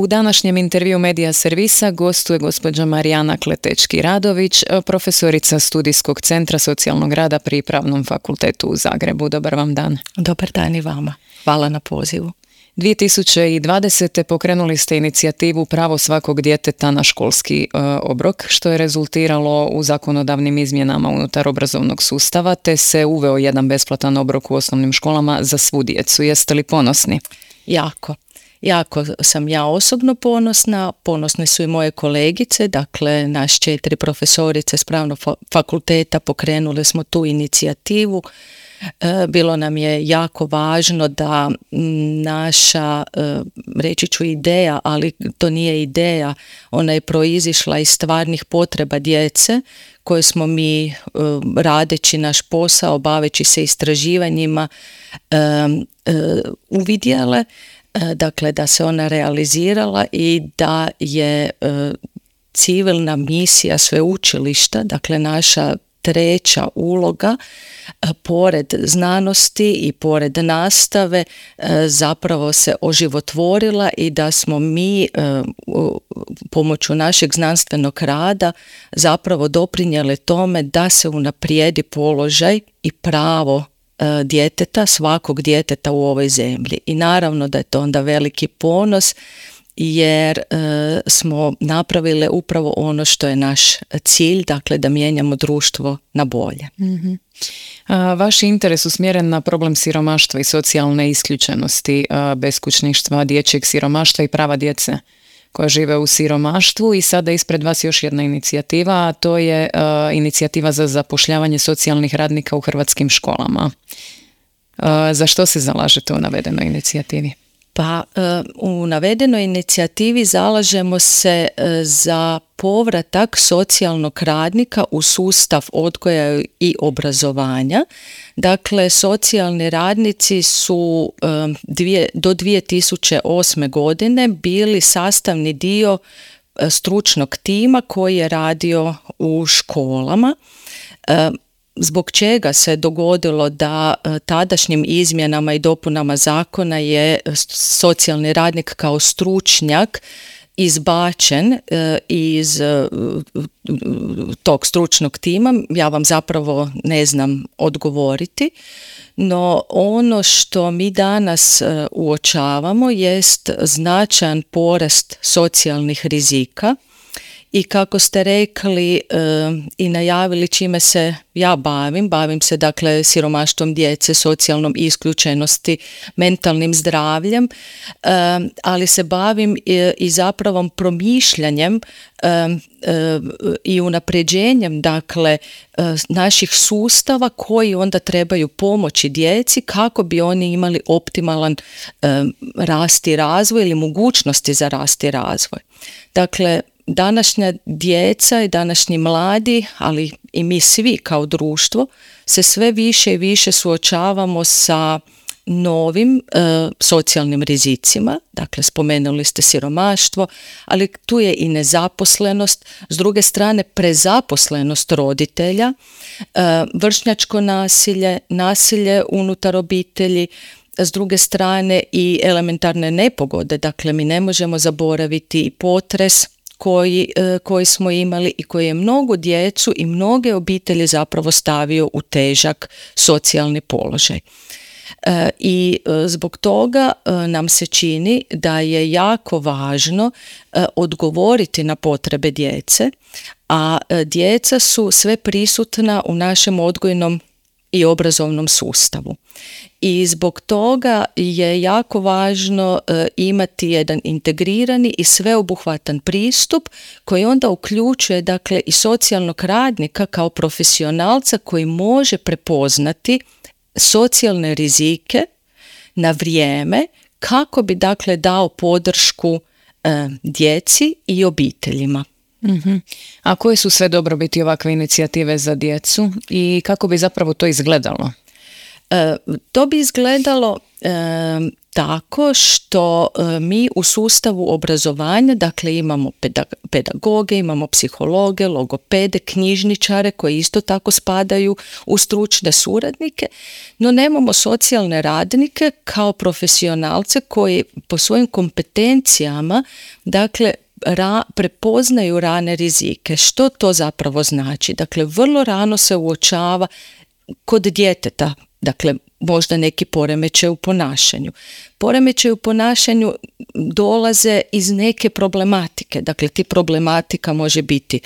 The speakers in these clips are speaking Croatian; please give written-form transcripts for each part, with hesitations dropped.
U današnjem intervju Medija servisa gostuje gospođa Marijana Kletečki-Radović, profesorica Studijskog centra socijalnog rada pri Pravnom fakultetu u Zagrebu. Dobar vam dan. Dobar dan i vama. Hvala na pozivu. 2020. pokrenuli ste inicijativu Pravo svakog djeteta na školski obrok, što je rezultiralo u zakonodavnim izmjenama unutar obrazovnog sustava, te se uveo jedan besplatan obrok u osnovnim školama za svu djecu. Jeste li ponosni? Jako sam ja osobno ponosna, ponosne su i moje kolegice, dakle naš 4 profesorice s Pravnog fakulteta pokrenule smo tu inicijativu. Bilo nam je jako važno da naša, reći ću ideja, ali to nije ideja, ona je proizišla iz stvarnih potreba djece koje smo mi radeći naš posao, baveći se istraživanjima, uvidjele. Dakle, da se ona realizirala i da je civilna misija sveučilišta, dakle naša treća uloga, pored znanosti i pored nastave, zapravo se oživotvorila i da smo mi pomoću našeg znanstvenog rada zapravo doprinijeli tome da se unaprijedi položaj i pravo djeteta, svakog djeteta u ovoj zemlji. I naravno da je to onda veliki ponos jer smo napravili upravo ono što je naš cilj, dakle da mijenjamo društvo na bolje. Mm-hmm. Vaš interes usmjeren na problem siromaštva i socijalne isključenosti, beskućništva, dječjeg siromaštva i prava djece koja žive u siromaštvu, i sada ispred vas još jedna inicijativa, a to je inicijativa za zapošljavanje socijalnih radnika u hrvatskim školama. Za što se zalažete u navedenoj inicijativi? Pa u navedenoj inicijativi zalažemo se za povratak socijalnog radnika u sustav odgoja i obrazovanja. Dakle, socijalni radnici su do 2008. godine bili sastavni dio stručnog tima koji je radio u školama. Zbog čega se dogodilo da tadašnjim izmjenama i dopunama zakona je socijalni radnik kao stručnjak izbačen iz tog stručnog tima, ja vam zapravo ne znam odgovoriti, no ono što mi danas uočavamo jest značajan porast socijalnih rizika. I kako ste rekli i najavili čime se ja bavim se dakle siromaštvom djece, socijalnom isključenosti, mentalnim zdravljem, ali se bavim i zapravo promišljanjem i unapređenjem dakle naših sustava koji onda trebaju pomoći djeci kako bi oni imali optimalan rast i razvoj ili mogućnosti za rast i razvoj. Dakle, današnja djeca i današnji mladi, ali i mi svi kao društvo, se sve više i više suočavamo sa novim socijalnim rizicima. Dakle, spomenuli ste siromaštvo, ali tu je i nezaposlenost, s druge strane prezaposlenost roditelja, vršnjačko nasilje, nasilje unutar obitelji, s druge strane i elementarne nepogode. Dakle, mi ne možemo zaboraviti i potres koji smo imali i koji je mnogu djecu i mnoge obitelji zapravo stavio u težak socijalni položaj. I zbog toga nam se čini da je jako važno odgovoriti na potrebe djece, a djeca su sve prisutna u našem odgojnom i obrazovnom sustavu. I zbog toga je jako važno imati jedan integrirani i sveobuhvatan pristup koji onda uključuje dakle i socijalnog radnika kao profesionalca koji može prepoznati socijalne rizike na vrijeme kako bi dakle dao podršku djeci i obiteljima. Mm-hmm. A koje su sve dobrobiti ovakve inicijative za djecu i kako bi zapravo to izgledalo? To bi izgledalo tako što mi u sustavu obrazovanja, dakle imamo pedagoge, imamo psihologe, logopede, knjižničare koji isto tako spadaju u stručne suradnike, no nemamo socijalne radnike kao profesionalce koji po svojim kompetencijama, dakle, prepoznaju rane rizike. Što to zapravo znači? Dakle, vrlo rano se uočava kod djeteta, dakle, možda neki poremećaj u ponašanju. Poremećaj u ponašanju dolaze iz neke problematike. Dakle, ti problematika može biti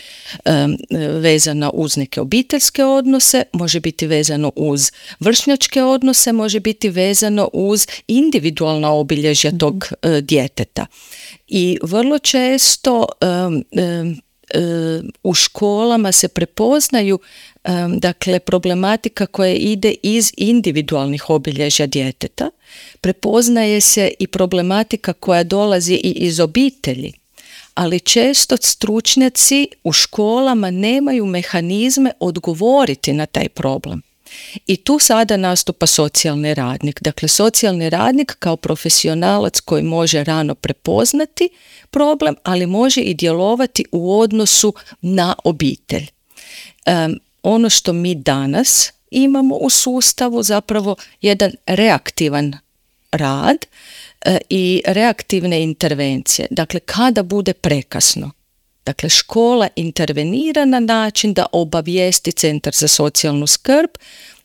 vezana uz neke obiteljske odnose, može biti vezano uz vršnjačke odnose, može biti vezano uz individualna obilježja tog djeteta. I vrlo često u školama se prepoznaju dakle problematika koja ide iz individualnih obilježja djeteta, prepoznaje se i problematika koja dolazi i iz obitelji, ali često stručnjaci u školama nemaju mehanizme odgovoriti na taj problem. I tu sada nastupa socijalni radnik. Dakle, socijalni radnik kao profesionalac koji može rano prepoznati problem, ali može i djelovati u odnosu na obitelj. Ono što mi danas imamo u sustavu zapravo jedan reaktivan rad i reaktivne intervencije. Dakle, kada bude prekasno. Dakle, škola intervenira na način da obavijesti Centar za socijalnu skrb,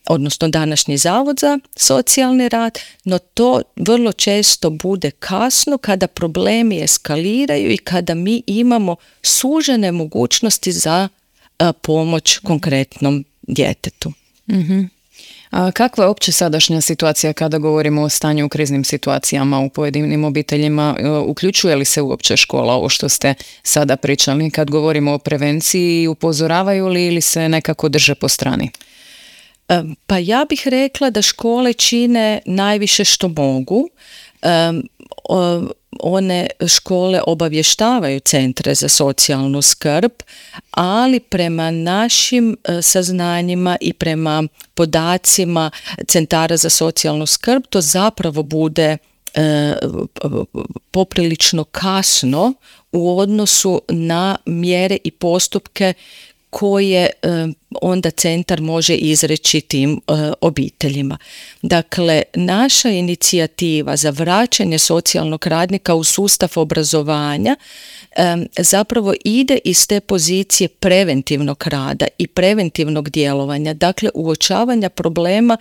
odnosno današnji Zavod za socijalni rad, no to vrlo često bude kasno kada problemi eskaliraju i kada mi imamo sužene mogućnosti za pomoć konkretnom djetetu. Mm-hmm. A kakva je opće sadašnja situacija kada govorimo o stanju u kriznim situacijama u pojedinim obiteljima? Uključuje li se uopće škola, ovo što ste sada pričali, kad govorimo o prevenciji, upozoravaju li ili se nekako drže po strani? Pa ja bih rekla da škole čine najviše što mogu. One škole obavještavaju centre za socijalnu skrb, ali prema našim saznanjima i prema podacima centara za socijalnu skrb to zapravo bude poprilično kasno u odnosu na mjere i postupke koje onda centar može izreći tim obiteljima. Dakle, naša inicijativa za vraćanje socijalnog radnika u sustav obrazovanja zapravo ide iz te pozicije preventivnog rada i preventivnog djelovanja, dakle uočavanja problema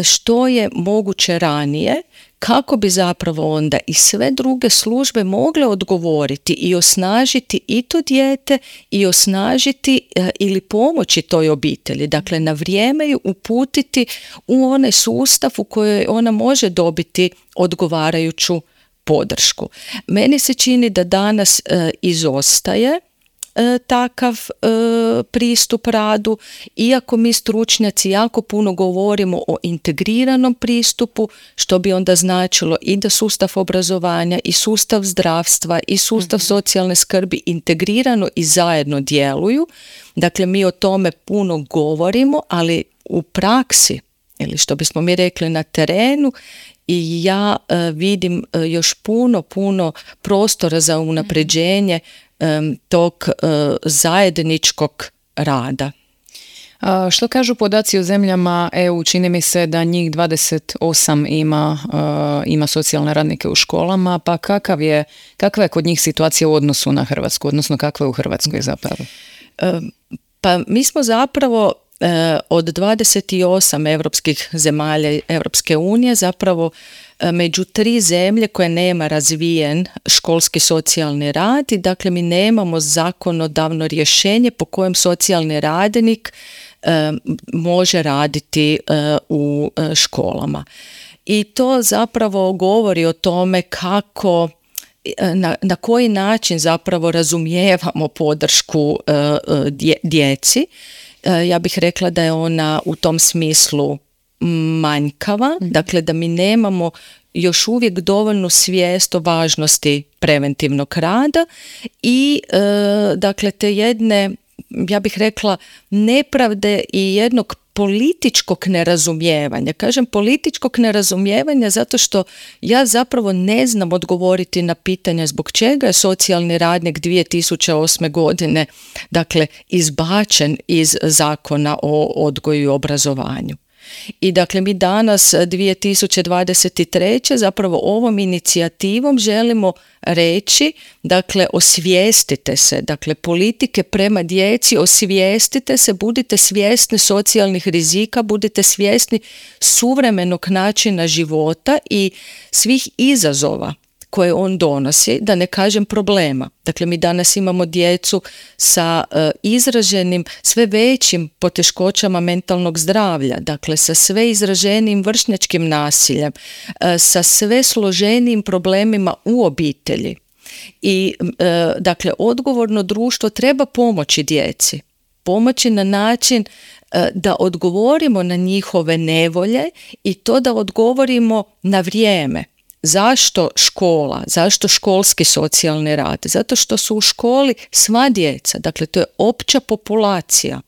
što je moguće ranije, kako bi zapravo onda i sve druge službe mogle odgovoriti i osnažiti i to dijete i osnažiti ili pomoći toj obitelji. Dakle, na vrijeme ju uputiti u onaj sustav u kojoj ona može dobiti odgovarajuću podršku. Meni se čini da danas izostaje takav pristup radu, iako mi stručnjaci jako puno govorimo o integriranom pristupu, što bi onda značilo i da sustav obrazovanja i sustav zdravstva i sustav socijalne skrbi integrirano i zajedno djeluju. Dakle, mi o tome puno govorimo, ali u praksi, ili što bismo mi rekli na terenu, i ja vidim još puno prostora za unapređenje tog zajedničkog rada. Što kažu podaci o zemljama EU? Čini mi se da njih 28 ima socijalne radnike u školama, pa kakva je kod njih situacija u odnosu na Hrvatsku, odnosno kakva je u Hrvatskoj zapravo? Pa mi smo zapravo od 28 europskih zemalja Europske unije zapravo među 3 zemlje koje nema razvijen školski socijalni rad i dakle mi nemamo zakonodavno rješenje po kojem socijalni radnik može raditi u školama. I to zapravo govori o tome kako na koji način zapravo razumijevamo podršku djeci. Ja bih rekla da je ona u tom smislu manjkava, dakle da mi nemamo još uvijek dovoljnu svijest o važnosti preventivnog rada i dakle te jedne, ja bih rekla, nepravde i jednog političkog nerazumijevanja. Kažem političkog nerazumijevanja zato što ja zapravo ne znam odgovoriti na pitanja zbog čega je socijalni radnik 2008. godine dakle izbačen iz Zakona o odgoju i obrazovanju. I dakle mi danas 2023. zapravo ovom inicijativom želimo reći, dakle osvijestite se, dakle politike prema djeci, osvijestite se, budite svjesni socijalnih rizika, budite svjesni suvremenog načina života i svih izazova koje on donosi, da ne kažem problema. Dakle, mi danas imamo djecu sa izraženim, sve većim poteškoćama mentalnog zdravlja, dakle sa sve izraženijim vršnjačkim nasiljem, sa sve složenijim problemima u obitelji. I dakle, odgovorno društvo treba pomoći djeci. Pomoći na način da odgovorimo na njihove nevolje i to da odgovorimo na vrijeme. Zašto škola? Zašto školski socijalni rad? Zato što su u školi sva djeca, dakle to je opća populacija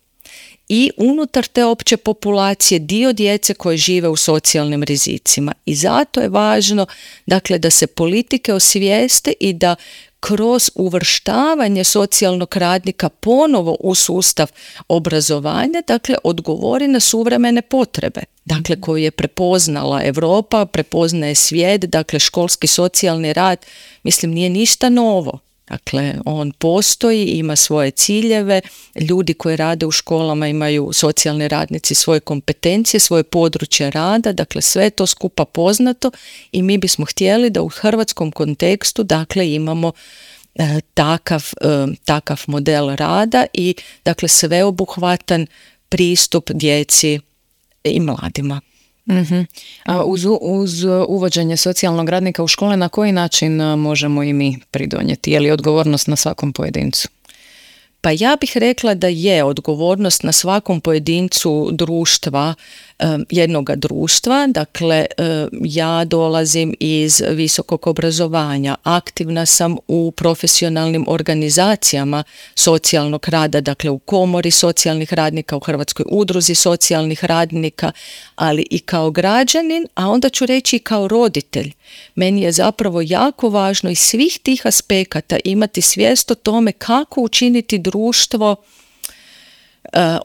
i unutar te opće populacije dio djece koje žive u socijalnim rizicima i zato je važno dakle da se politike osvijeste i da kroz uvrštavanje socijalnog radnika ponovo u sustav obrazovanja, dakle odgovori na suvremene potrebe, dakle koju je prepoznala Europa, prepoznaje svijet, dakle školski socijalni rad, mislim nije ništa novo. Dakle, on postoji, ima svoje ciljeve, ljudi koji rade u školama imaju, socijalni radnici, svoje kompetencije, svoje područje rada, dakle sve je to skupa poznato i mi bismo htjeli da u hrvatskom kontekstu dakle imamo takav model rada i dakle sveobuhvatan pristup djeci i mladima. Uh-huh. A uz uvođenje socijalnog radnika u škole na koji način možemo i mi pridonijeti? Je li odgovornost na svakom pojedincu? Pa ja bih rekla da je odgovornost na svakom pojedincu društva, jednoga društva. Dakle, ja dolazim iz visokog obrazovanja, aktivna sam u profesionalnim organizacijama socijalnog rada, dakle u komori socijalnih radnika, u Hrvatskoj udruzi socijalnih radnika, ali i kao građanin, a onda ću reći i kao roditelj. Meni je zapravo jako važno iz svih tih aspekata imati svijest o tome kako učiniti društvo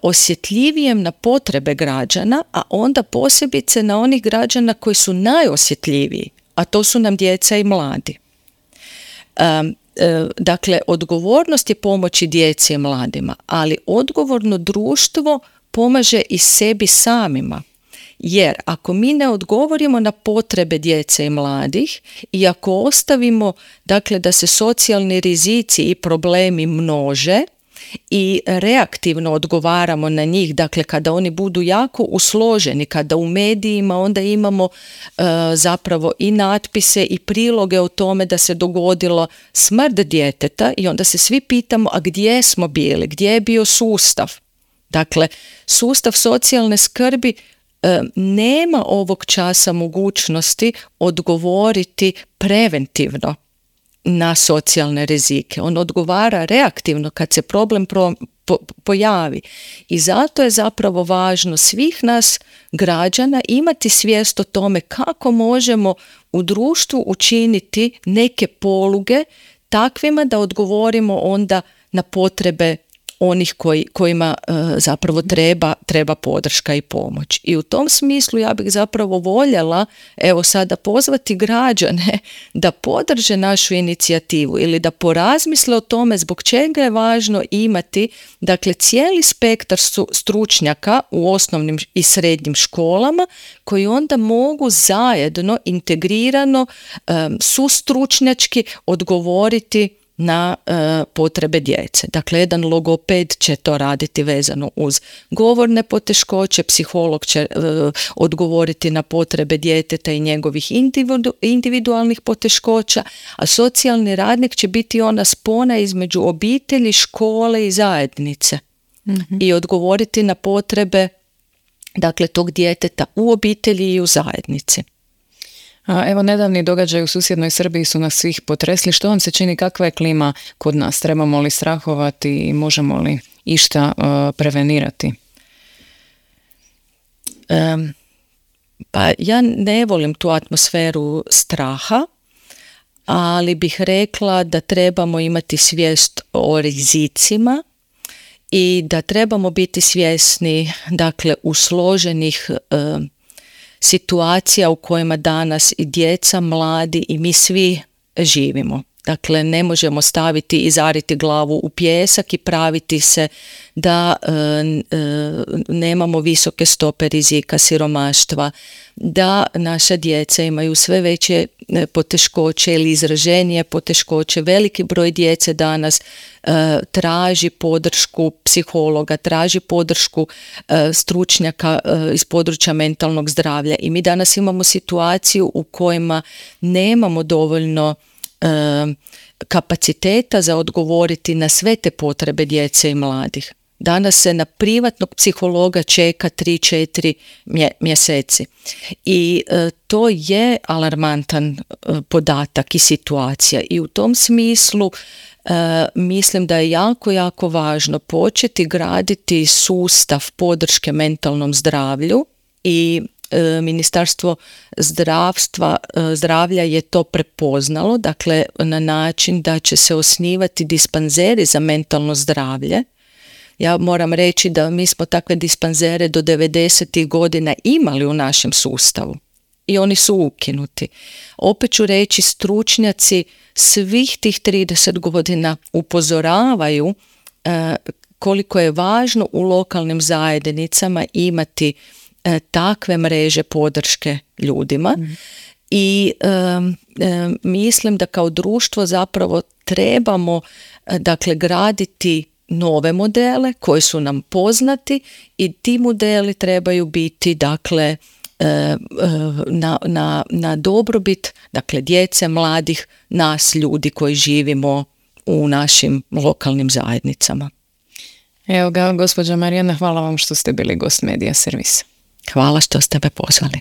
osjetljivijem na potrebe građana, a onda posebice na onih građana koji su najosjetljiviji, a to su nam djeca i mladi. Dakle, odgovornost je pomoći djeci i mladima, ali odgovorno društvo pomaže i sebi samima. Jer ako mi ne odgovorimo na potrebe djece i mladih i ako ostavimo dakle, da se socijalni rizici i problemi množe i reaktivno odgovaramo na njih, dakle kada oni budu jako usloženi, kada u medijima onda imamo zapravo i natpise i priloge o tome da se dogodilo smrt djeteta i onda se svi pitamo a gdje smo bili, gdje je bio sustav? Dakle, sustav socijalne skrbi nema ovog časa mogućnosti odgovoriti preventivno na socijalne rizike. On odgovara reaktivno kad se problem pojavi. I zato je zapravo važno svih nas građana imati svijest o tome kako možemo u društvu učiniti neke poluge takvima da onda na potrebe onih kojima zapravo treba podrška i pomoć. I u tom smislu ja bih zapravo voljela evo sada pozvati građane da podrže našu inicijativu ili da porazmisle o tome zbog čega je važno imati dakle cijeli spektar stručnjaka u osnovnim i srednjim školama koji onda mogu zajedno integrirano sustručnjački odgovoriti na potrebe djece. Dakle, jedan logoped će to raditi vezano uz govorne poteškoće, psiholog će odgovoriti na potrebe djeteta i njegovih individualnih poteškoća, a socijalni radnik će biti ona spona između obitelji, škole i zajednice i odgovoriti na potrebe dakle, tog djeteta u obitelji i u zajednici. Evo, nedavni događaj u susjednoj Srbiji su nas svih potresli. Što vam se čini, kakva je klima kod nas? Trebamo li strahovati i možemo li išta prevenirati? Pa ja ne volim tu atmosferu straha, ali bih rekla da trebamo imati svijest o rizicima i da trebamo biti svjesni, dakle, usloženih situacija u kojima danas i djeca, mladi i mi svi živimo. Dakle, ne možemo staviti i zariti glavu u pijesak i praviti se da nemamo visoke stope rizika siromaštva, da naša djeca imaju sve veće poteškoće ili izraženije poteškoće. Veliki broj djece danas traži podršku psihologa, traži podršku stručnjaka iz područja mentalnog zdravlja i mi danas imamo situaciju u kojima nemamo dovoljno kapaciteta za odgovoriti na sve te potrebe djece i mladih. Danas se na privatnog psihologa čeka 3-4 mjeseci i to je alarmantan podatak i situacija i u tom smislu mislim da je jako, jako važno početi graditi sustav podrške mentalnom zdravlju i Ministarstvo zdravlja je to prepoznalo, dakle na način da će se osnivati dispanzeri za mentalno zdravlje. Ja moram reći da mi smo takve dispanzere do 90. godina imali u našem sustavu i oni su ukinuti. Opet ću reći, stručnjaci svih tih 30 godina upozoravaju koliko je važno u lokalnim zajednicama imati takve mreže podrške ljudima i mislim da kao društvo zapravo trebamo dakle graditi nove modele koji su nam poznati i ti modeli trebaju biti dakle na dobrobit dakle djece, mladih, nas ljudi koji živimo u našim lokalnim zajednicama. Evo ga, gospođa Marijana, hvala vam što ste bili gost Medija servisa. Hvala što ste me pozvali.